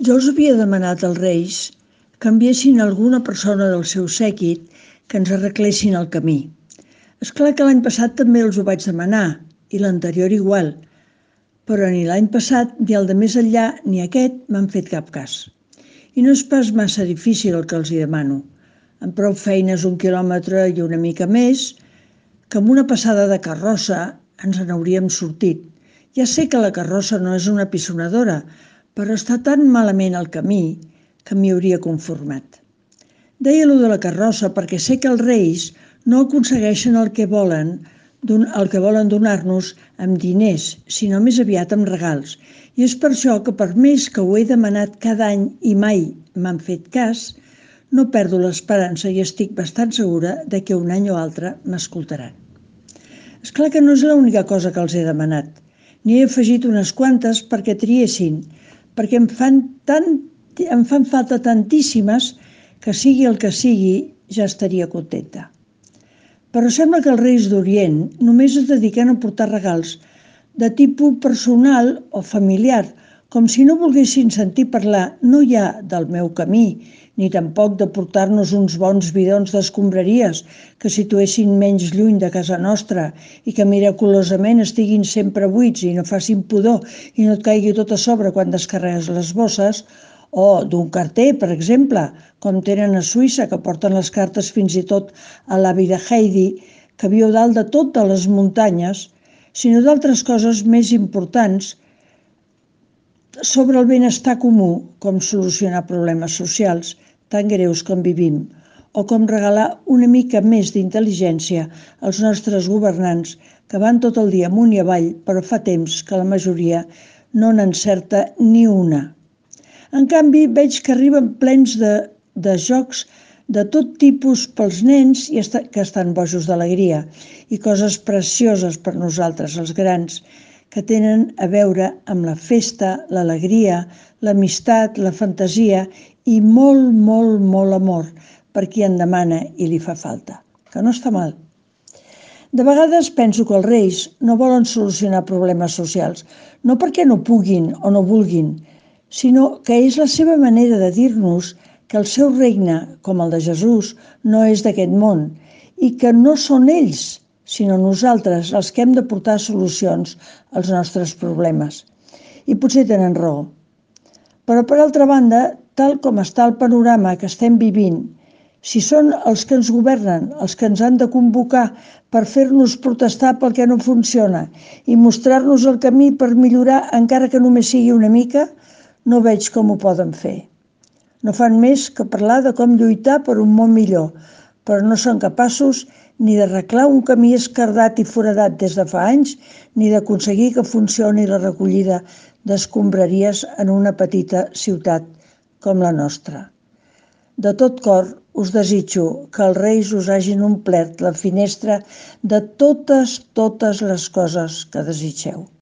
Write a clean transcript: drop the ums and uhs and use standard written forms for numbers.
Jo els havia demanat als Reis que enviessin alguna persona del seu séquit que ens arreglessin el camí. És clar que l'any passat també els ho vaig demanar, i l'anterior igual, però ni l'any passat, ni el de més enllà, ni aquest m'han fet cap cas. I no és pas massa difícil el que els hi demano. Amb prou feines 1 quilòmetre i una mica més, que amb una passada de carrossa ens n'hauríem sortit. Ja sé que la carrossa no és una pissonadora, però està tan malament el camí que m'hi hauria conformat. Deia allò de la carrossa perquè sé que els Reis no aconsegueixen el que volen donar-nos amb diners, sinó més aviat amb regals. I és per això que per més que ho he demanat cada any i mai m'han fet cas, no perdo l'esperança i estic bastant segura de que un any o altre m'escoltaran. És clar que no és l'única cosa que els he demanat. N'hi he afegit unes quantes perquè triessin, perquè em fan falta tantíssimes que sigui el que sigui ja estaria contenta. Però sembla que els Reis d'Orient només es dediquen a portar regals de tipus personal o familiar, com si no volguessin sentir parlar no ja del meu camí, ni tampoc de portar-nos uns bons bidons d'escombraries que situessin menys lluny de casa nostra i que miraculosament estiguin sempre buits i no facin pudor i no et caigui tot a sobre quan descarregues les bosses, o d'un carter, per exemple, com tenen a Suïssa, que porten les cartes fins i tot a l'avi de Heidi, que viu dalt de tot de les muntanyes, sinó d'altres coses més importants sobre el benestar comú, com solucionar problemes socials tan greus com vivim, o com regalar una mica més d'intel·ligència als nostres governants que van tot el dia amunt i avall, però fa temps que la majoria no n'encerta ni una. En canvi, veig que arriben plens de jocs de tot tipus pels nens que estan bojos d'alegria i coses precioses per nosaltres, els grans, que tenen a veure amb la festa, l'alegria, l'amistat, la fantasia i molt, molt, molt amor per qui en demana i li fa falta, que no està mal. De vegades penso que els Reis no volen solucionar problemes socials, no perquè no puguin o no vulguin, sinó que és la seva manera de dir-nos que el seu regne, com el de Jesús, no és d'aquest món i que no són ells, sinó nosaltres els que hem de portar solucions als nostres problemes. I potser tenen raó. Però, per altra banda, tal com està el panorama que estem vivint, si són els que ens governen, els que ens han de convocar per fer-nos protestar pel que no funciona i mostrar-nos el camí per millorar, encara que només sigui una mica, no veig com ho poden fer. No fan més que parlar de com lluitar per un món millor, però no són capaços ni d'arreglar un camí esquerdat i foradat des de fa anys, ni d'aconseguir que funcioni la recollida d'escombraries en una petita ciutat com la nostra. De tot cor us desitjo que els Reis us hagin omplert la finestra de totes les coses que desitgeu.